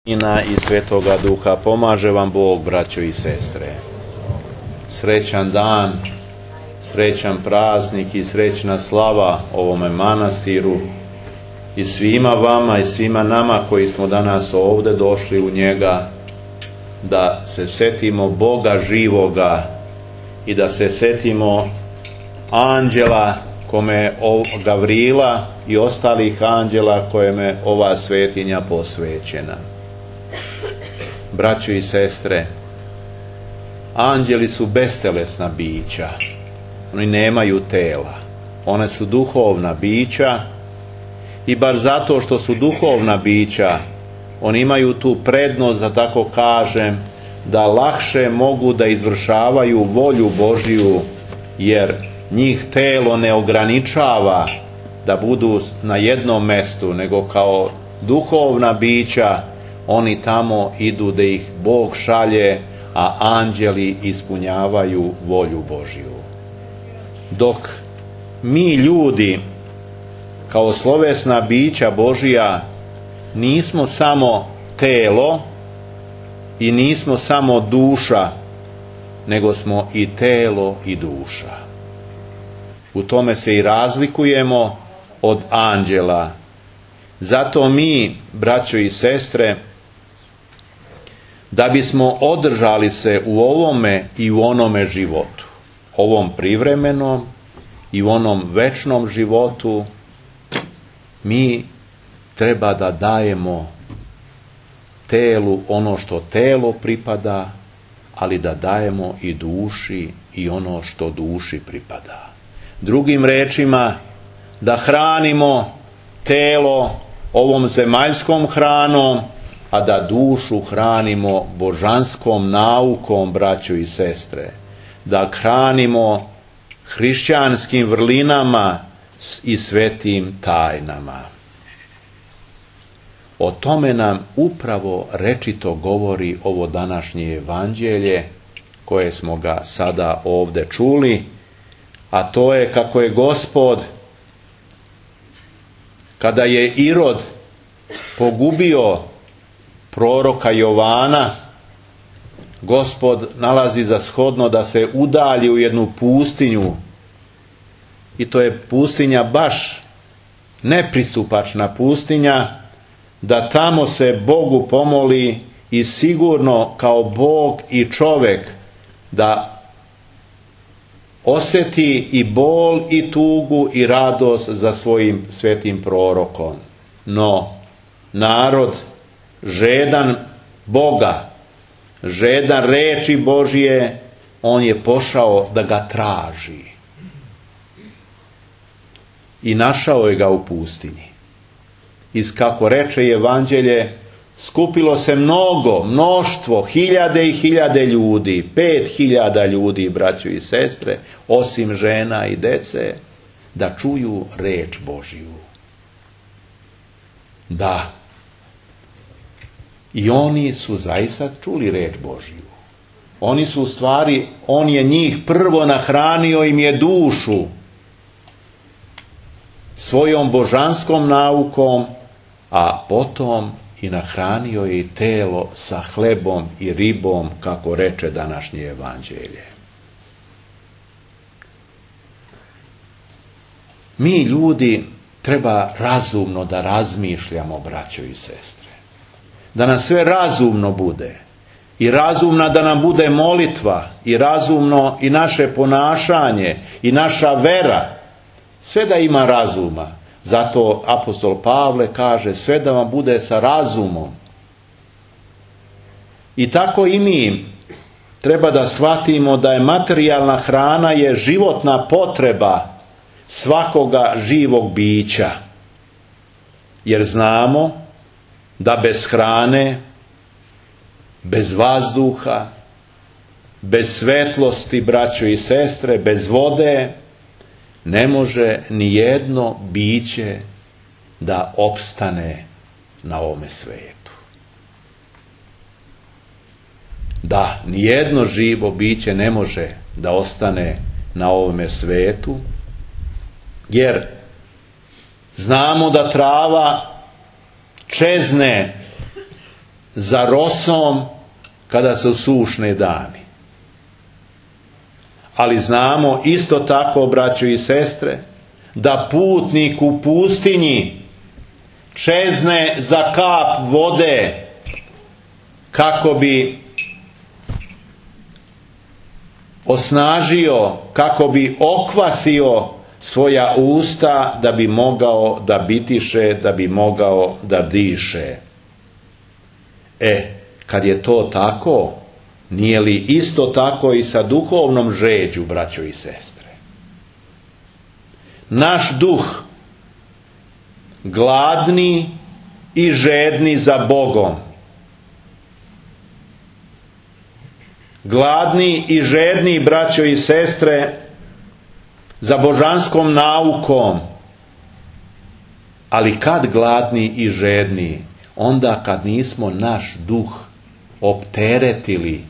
I Svetoga Duha. Pomaže vam Bog, braćo i sestre. Srećan dan, srećan praznik i srećna slava ovome manastiru i svima vama i svima nama koji smo danas ovdje došli u njega, da se setimo Boga živoga i da se setimo anđela kome Gavrila i ostalih anđela kojeme ova svetinja posvećena. Braćo i sestre, anđeli su bestelesna bića. Oni nemaju tela. One su duhovna bića i bar zato što su duhovna bića, oni imaju tu prednost, da tako kažem, da lakše mogu da izvršavaju volju Božiju, jer njih telo ne ograničava da budu na jednom mestu, nego kao duhovna bića oni tamo idu da ih Bog šalje, a anđeli ispunjavaju volju Božju. Dok mi ljudi kao slovesna bića Božja nismo samo telo i nismo samo duša, nego smo i telo i duša. U tome se i razlikujemo od anđela. Zato mi, braćo i sestre, da bismo održali se u ovome i u onome životu, ovom privremenom i u onom večnom životu, mi treba da dajemo telu ono što telo pripada, ali da dajemo i duši i ono što duši pripada. Drugim rečima, da hranimo telo ovom zemaljskom hranom, a da dušu hranimo božanskom naukom, braćo i sestre. Da hranimo hrišćanskim vrlinama i svetim tajnama. O tome nam upravo rečito govori ovo današnje evanđelje, koje smo ga sada ovdje čuli, a to je kako je Gospod, kada je Irod pogubio proroka Jovana, Gospod nalazi za shodno da se udalji u jednu pustinju, i to je pustinja baš nepristupačna pustinja, da tamo se Bogu pomoli i sigurno kao Bog i čovjek da osjeti i bol i tugu i radost za svojim svetim prorokom. No, narod žedan Boga, žedan reči Božije, on je pošao da ga traži. I našao je ga u pustinji. I kako reče evanđelje, skupilo se mnoštvo, hiljade i hiljade ljudi, 5.000 ljudi, braćo i sestre, osim žena i dece, da čuju reč Božiju. Da. I oni su zaista čuli reč Božiju. Oni su u stvari, on je njih prvo nahranio im je dušu svojom božanskom naukom, a potom i nahranio je i telo sa hlebom i ribom, kako reče današnje evanđelje. Mi ljudi treba razumno da razmišljamo, braćo i sestre. Da nam sve razumno bude. I razumna da nam bude molitva. I razumno i naše ponašanje. I naša vera. Sve da ima razuma. Zato apostol Pavle kaže, sve da vam bude sa razumom. I tako i mi treba da shvatimo da je materijalna hrana je životna potreba svakoga živog bića. Jer znamo da bez hrane, bez vazduha, bez svetlosti, braćo i sestre, bez vode, ne može ni jedno biće da opstane na ovome svijetu. Da, ni jedno živo biće ne može da ostane na ovome svijetu, jer znamo da trava čezne za rosom kada su sušne dani. Ali znamo isto tako, braćo i sestre, da putnik u pustinji čezne za kap vode kako bi osnažio, kako bi okvasio svoja usta da bi mogao da bitiše, da bi mogao da diše. Kad je to tako, nije li isto tako i sa duhovnom žeđu, braćo i sestre? Naš duh, gladni i žedni za Bogom, gladni i žedni, braćo i sestre, za božanskom naukom. Ali kad gladni i žedni? Onda kad nismo naš duh opteretili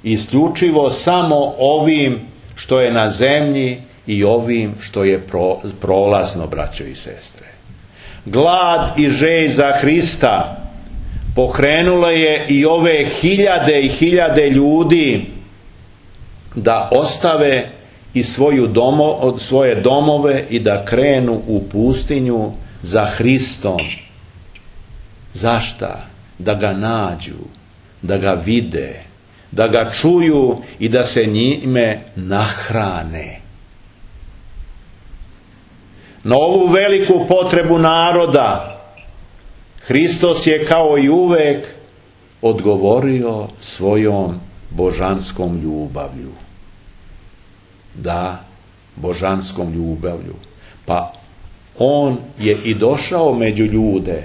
isključivo samo ovim što je na zemlji i ovim što je prolazno, braćo i sestre. Glad i želj za Hrista pokrenulo je i ove hiljade i hiljade ljudi da ostave i svoje domove i da krenu u pustinju za Hristom. Zašta? Da ga nađu, da ga vide, da ga čuju i da se njime nahrane. Na ovu veliku potrebu naroda Hristos je kao i uvek odgovorio svojom božanskom ljubavlju. Da, božanskom ljubavlju. Pa on je i došao među ljude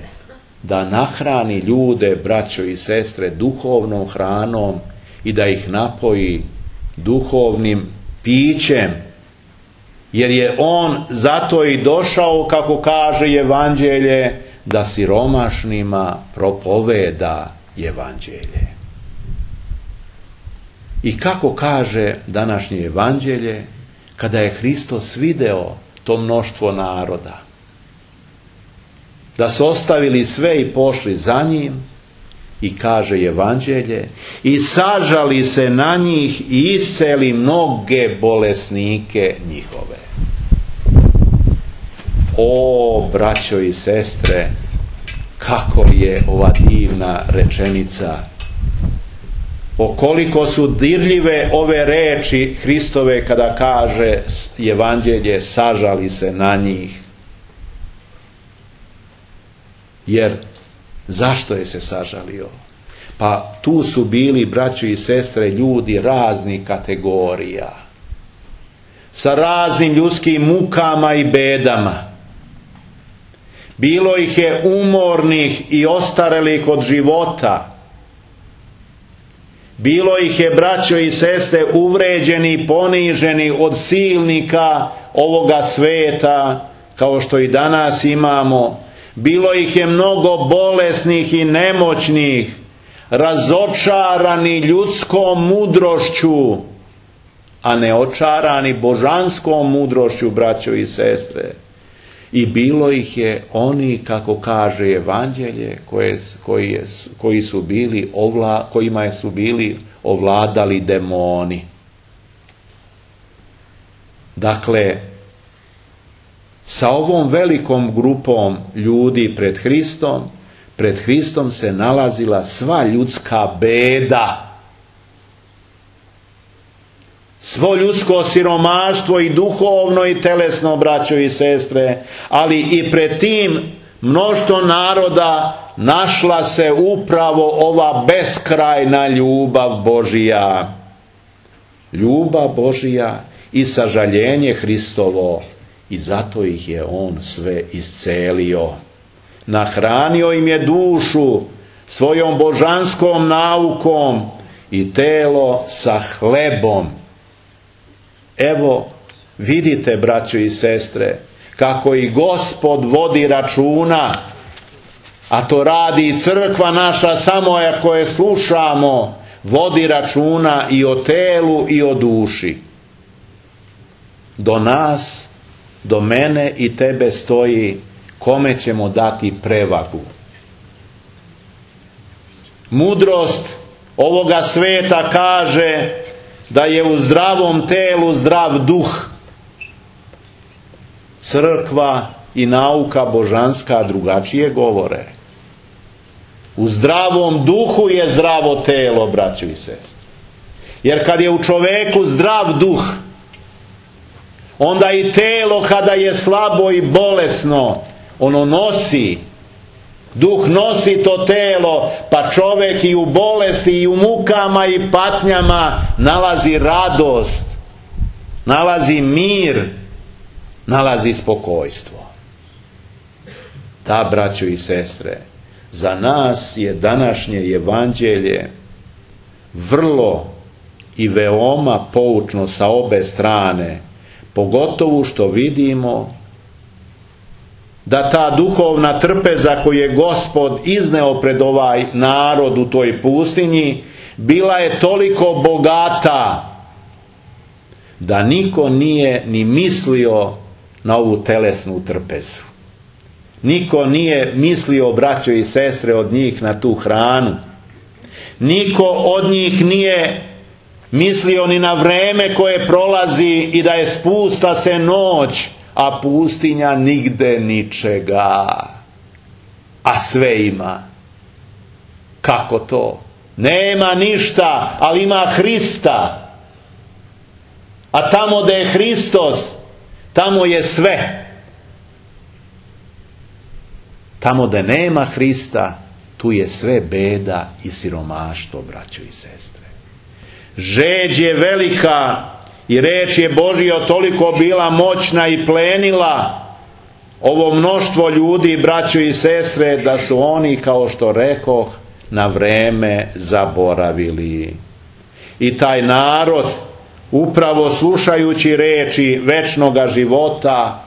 da nahrani ljude, braćo i sestre, duhovnom hranom i da ih napoji duhovnim pićem. Jer je on zato i došao, kako kaže Evanđelje, da siromašnima propoveda Evanđelje. I kako kaže današnje Evanđelje, kada je Hristos video to mnoštvo naroda, da su ostavili sve i pošli za njim, i kaže Evanđelje, i sažali se na njih i isceli mnoge bolesnike njihove. O, braćo i sestre, kako je ova divna rečenica! O koliko su dirljive ove reči Hristove kada kaže Evanđelje, sažali se na njih. Jer zašto je se sažalio? Pa tu su bili, braćo i sestre, ljudi raznih kategorija, sa raznim ljudskim mukama i bedama. Bilo ih je umornih i ostarelih od života. Bilo ih je, braćo i sestre, uvređeni i poniženi od silnika ovoga sveta, kao što i danas imamo. Bilo ih je mnogo bolesnih i nemoćnih, razočarani ljudskom mudrošću, a ne očarani božanskom mudrošću, braćo i sestre. I bilo ih je oni, kako kaže Evanđelje, kojima su bili ovladali demoni. Dakle, sa ovom velikom grupom ljudi pred Hristom se nalazila sva ljudska beda, svo ljudsko siromaštvo i duhovno i telesno, braćo i sestre, ali i pred tim mnoštvo naroda našla se upravo ova beskrajna ljubav Božija. Ljubav Božija i sažaljenje Hristovo, i zato ih je on sve iscelio. Nahranio im je dušu svojom božanskom naukom i telo sa hlebom. Evo, vidite, braćo i sestre, kako i Gospod vodi računa, a to radi i crkva naša, samo ako je slušamo, vodi računa i o telu i o duši. Do nas, do mene i tebe stoji kome ćemo dati prevagu. Mudrost ovoga sveta kaže da je u zdravom telu zdrav duh. Crkva i nauka božanska drugačije govore. U zdravom duhu je zdravo telo, braćo i sestre. Jer kad je u čoveku zdrav duh, onda i telo kada je slabo i bolesno, ono nosi, duh nosi to telo, pa čovjek i u bolesti i u mukama i patnjama nalazi radost, nalazi mir, nalazi spokojstvo. Da, braćo i sestre, za nas je današnje evanđelje vrlo i veoma poučno sa obe strane, pogotovo što vidimo da ta duhovna trpeza koju je Gospod izneo pred ovaj narod u toj pustinji bila je toliko bogata da niko nije ni mislio na ovu telesnu trpezu. Niko nije mislio, braćo i sestre, od njih na tu hranu. Niko od njih nije mislio ni na vreme koje prolazi i da je spusta se noć, a pustinja nigde ničega, a sve ima. Kako to? Nema ništa, ali ima Hrista. A tamo gdje je Hristos, tamo je sve. Tamo gdje nema Hrista, tu je sve beda i siromaštvo, braćo i sestre. Žeđ je velika i reč je Božja toliko bila moćna i plenila ovo mnoštvo ljudi, braćo i sestre, da su oni, kao što rekoh, na vreme zaboravili. I taj narod, upravo slušajući reči večnoga života,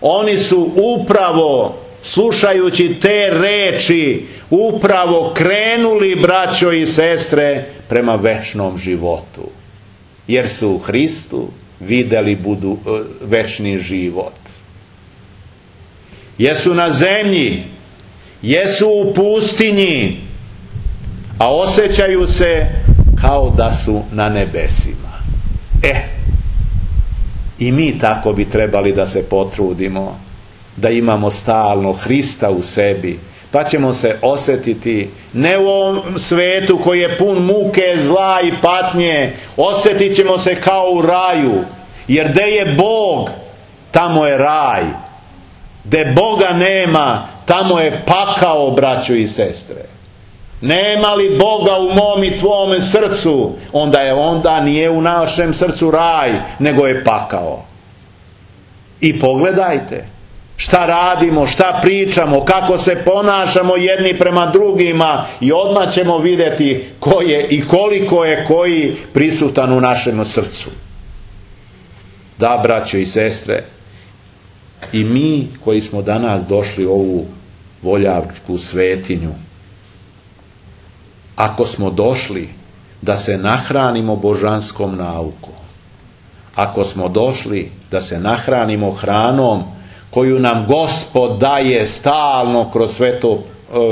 oni su upravo slušajući te reči upravo krenuli, braćo i sestre, prema večnom životu. Jer su u Hristu vidjeli večni život. Jesu na zemlji, jesu u pustinji, a osjećaju se kao da su na nebesima. I mi tako bi trebali da se potrudimo, da imamo stalno Hrista u sebi, pa ćemo se osjetiti ne u ovom svetu koji je pun muke, zla i patnje, osjetit ćemo se kao u raju, jer gdje je Bog, tamo je raj. Gdje Boga nema, tamo je pakao, braćo i sestre. Nema li Boga u mom i tvome srcu, onda nije u našem srcu raj, nego je pakao. I pogledajte šta radimo, šta pričamo, kako se ponašamo jedni prema drugima, i odmah ćemo vidjeti ko je i koliko je koji prisutan u našem srcu. Da, braćo i sestre, i mi koji smo danas došli u ovu Voljačku svetinju, ako smo došli da se nahranimo božanskom naukom, ako smo došli da se nahranimo hranom koju nam Gospod daje stalno kroz svetu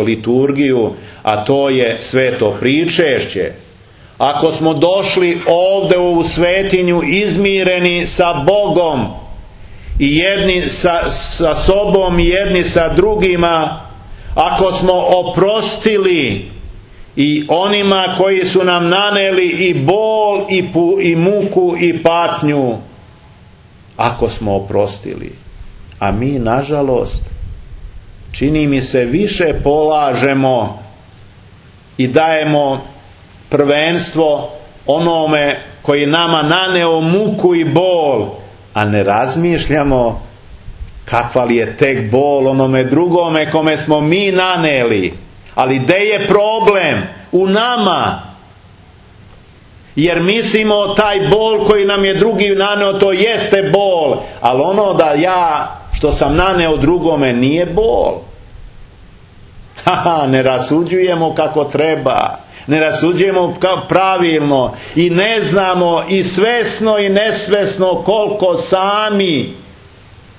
liturgiju, a to je sveto pričešće, ako smo došli ovdje u ovu svetinju izmireni sa Bogom i jedni sa sobom i jedni sa drugima, ako smo oprostili i onima koji su nam naneli i bol i muku i patnju, ako smo oprostili, a mi nažalost čini mi se više polažemo i dajemo prvenstvo onome koji nama naneo muku i bol, a ne razmišljamo kakva li je tek bol onome drugome kome smo mi naneli. Ali gdje je problem? U nama. Jer mislimo taj bol koji nam je drugi naneo, to jeste bol, ali ono da ja što sam naneo drugome nije bol. Ne rasuđujemo kako treba, ne rasuđujemo pravilno i ne znamo i svesno i nesvesno koliko sami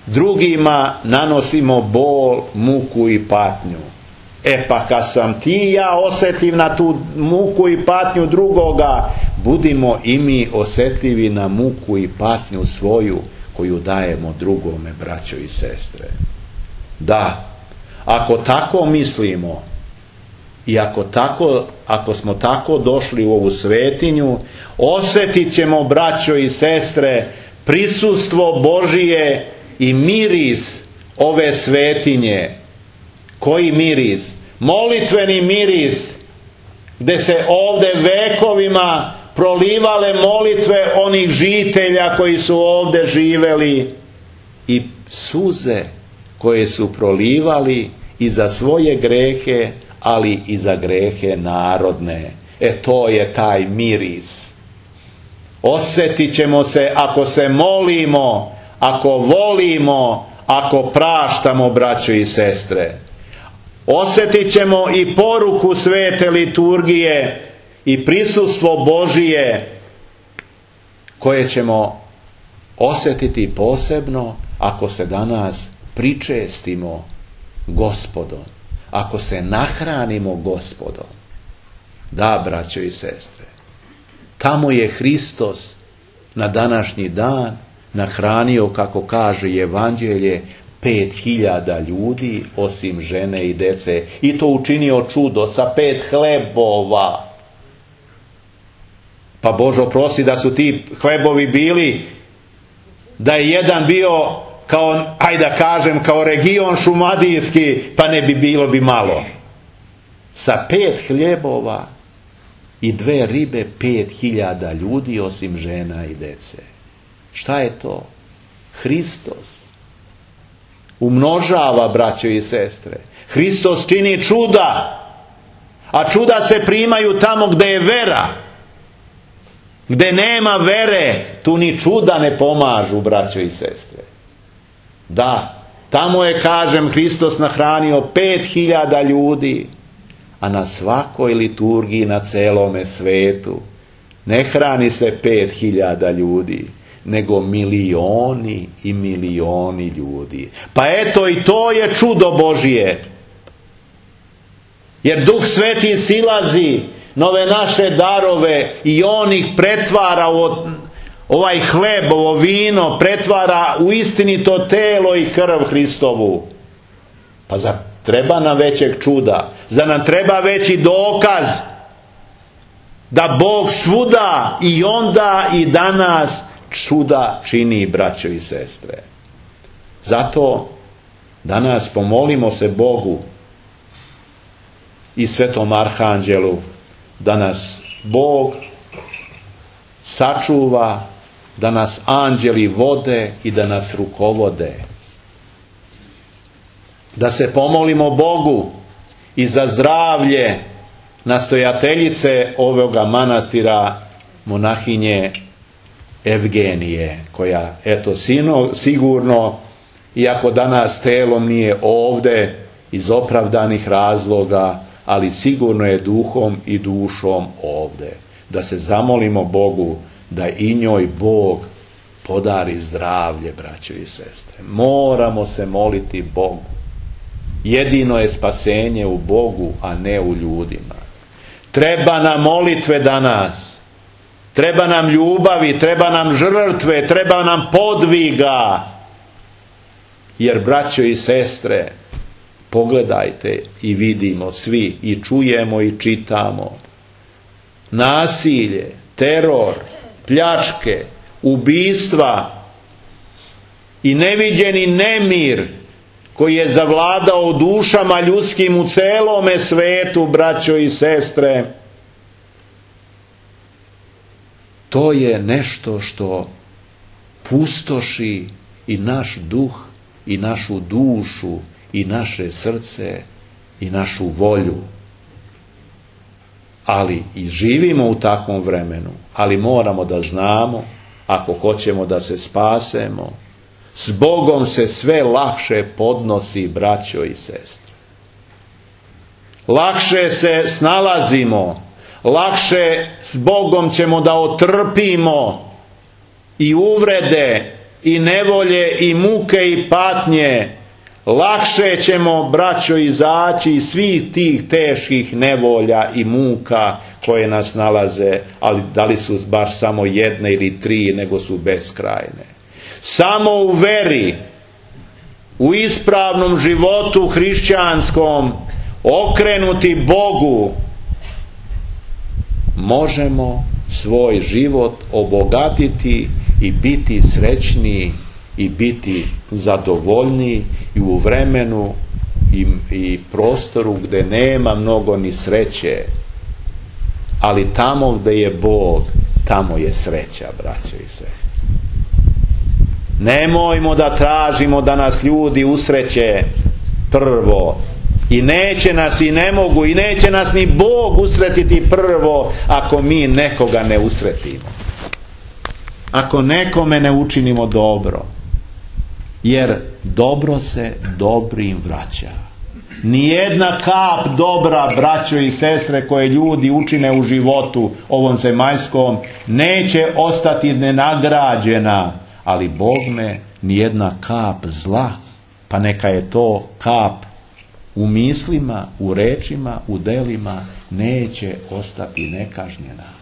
drugima nanosimo bol, muku i patnju. Pa kad sam ti i ja osjetljiv na tu muku i patnju drugoga, budimo i mi osjetljivi na muku i patnju svoju koju dajemo drugome, braćo i sestre. Da, ako tako mislimo i ako smo tako došli u ovu svetinju, osjetit ćemo, braćo i sestre, prisustvo Božije i miris ove svetinje. Koji miris? Molitveni miris, gdje se ovdje vekovima prolivale molitve onih žitelja koji su ovdje živeli i suze koje su prolivali i za svoje grehe, ali i za grehe narodne. To je taj miris. Osjetit ćemo se ako se molimo, ako volimo, ako praštamo, braćo i sestre. Osjetit ćemo i poruku svete liturgije i prisustvo Božije koje ćemo osjetiti posebno ako se danas pričestimo Gospodom, ako se nahranimo Gospodom. Da, braćo i sestre, tamo je Hristos na današnji dan nahranio, kako kaže Evanđelje, 5.000 ljudi, osim žene i dece, i to učinio čudo sa 5 hlebova. Pa Bože oprosti da su ti hlebovi bili, da je jedan bio kao, ajde da kažem, kao region šumadijski, pa ne bi bilo bi malo. Sa 5 hljebova i 2 ribe 5.000 ljudi, osim žena i dece. Šta je to? Hristos umnožava, braćo i sestre. Hristos čini čuda, a čuda se primaju tamo gdje je vera. Gdje nema vere, tu ni čuda ne pomažu, braćo i sestre. Da, tamo je, kažem, Hristos nahranio 5.000 ljudi, a na svakoj liturgiji na celome svetu ne hrani se 5.000 ljudi, nego milioni i milioni ljudi. Pa eto, i to je čudo Božije. Jer Duh Sveti silazi na ove naše darove i on ih pretvara u ovaj hleb, ovo vino, pretvara u istinito telo i krv Hristovu. Pa zar treba nam većeg čuda? Zar nam treba veći dokaz da Bog svuda i onda i danas čuda čini, braćo i sestre? Zato danas pomolimo se Bogu i Svetom Arhanđelu da nas Bog sačuva, da nas anđeli vode i da nas rukovode. Da se pomolimo Bogu i za zdravlje nastojateljice ovoga manastira, monahinje Evgenije, koja, eto, sigurno, iako danas telom nije ovdje iz opravdanih razloga, ali sigurno je duhom i dušom ovdje. Da se zamolimo Bogu da i njoj Bog podari zdravlje, braćo i sestre. Moramo se moliti Bogu. Jedino je spasenje u Bogu, a ne u ljudima. Treba nam molitve danas. Treba nam ljubavi, treba nam žrtve, treba nam podviga. Jer, braćo i sestre, pogledajte i vidimo svi i čujemo i čitamo. Nasilje, teror, pljačke, ubistva i neviđeni nemir koji je zavladao u dušama ljudskim u celome svetu, braćo i sestre, to je nešto što pustoši i naš duh i našu dušu i naše srce i našu volju. Ali i živimo u takvom vremenu, ali moramo da znamo, ako hoćemo da se spasemo, s Bogom se sve lakše podnosi, braćo i sestre. Lakše se snalazimo, lakše s Bogom ćemo da otrpimo i uvrede, i nevolje, i muke, i patnje. lakše ćemo, braćo, izaći iz svih tih teških nevolja i muka koje nas nalaze, ali da li su baš samo jedne ili tri, nego su beskrajne. Samo u veri, u ispravnom životu hrišćanskom, okrenuti Bogu, možemo svoj život obogatiti i biti srećniji i biti zadovoljniji i u vremenu i prostoru gdje nema mnogo ni sreće, ali tamo gdje je Bog, tamo je sreća, braćo i sestre. Nemojmo da tražimo da nas ljudi usreće prvo, i neće nas i ne mogu i neće nas ni Bog usretiti prvo ako mi nekoga ne usretimo, ako nekome ne učinimo dobro, jer dobro se dobrim vraća. Nijedna kap dobra, braćo i sestre, koje ljudi učine u životu ovom zemaljskom, neće ostati nenagrađena, ali Bogme nijedna kap zla, pa neka je to kap u mislima, u rečima, u delima, neće ostati nekažnjena.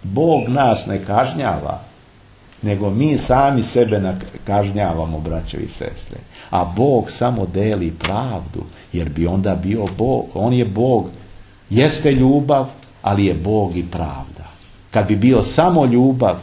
Bog nas ne kažnjava, nego mi sami sebe kažnjavamo, braćo i sestre. A Bog samo deli pravdu, jer bi onda bio Bog. On je Bog, jeste ljubav, ali je Bog i pravda. Kad bi bio samo ljubav,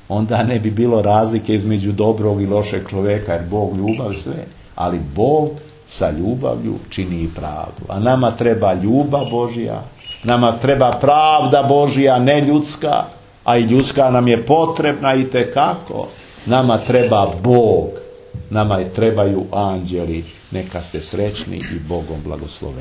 onda ne bi bilo razlike između dobrog i lošeg čovjeka, jer Bog ljubav sve, ali Bog sa ljubavlju čini i pravdu. A nama treba ljubav Božja, nama treba pravda Božja, ne ljudska, a i ljudska nam je potrebna itekako. Nama treba Bog, nama trebaju anđeli. Neka ste srećni i Bogom blagosloveni.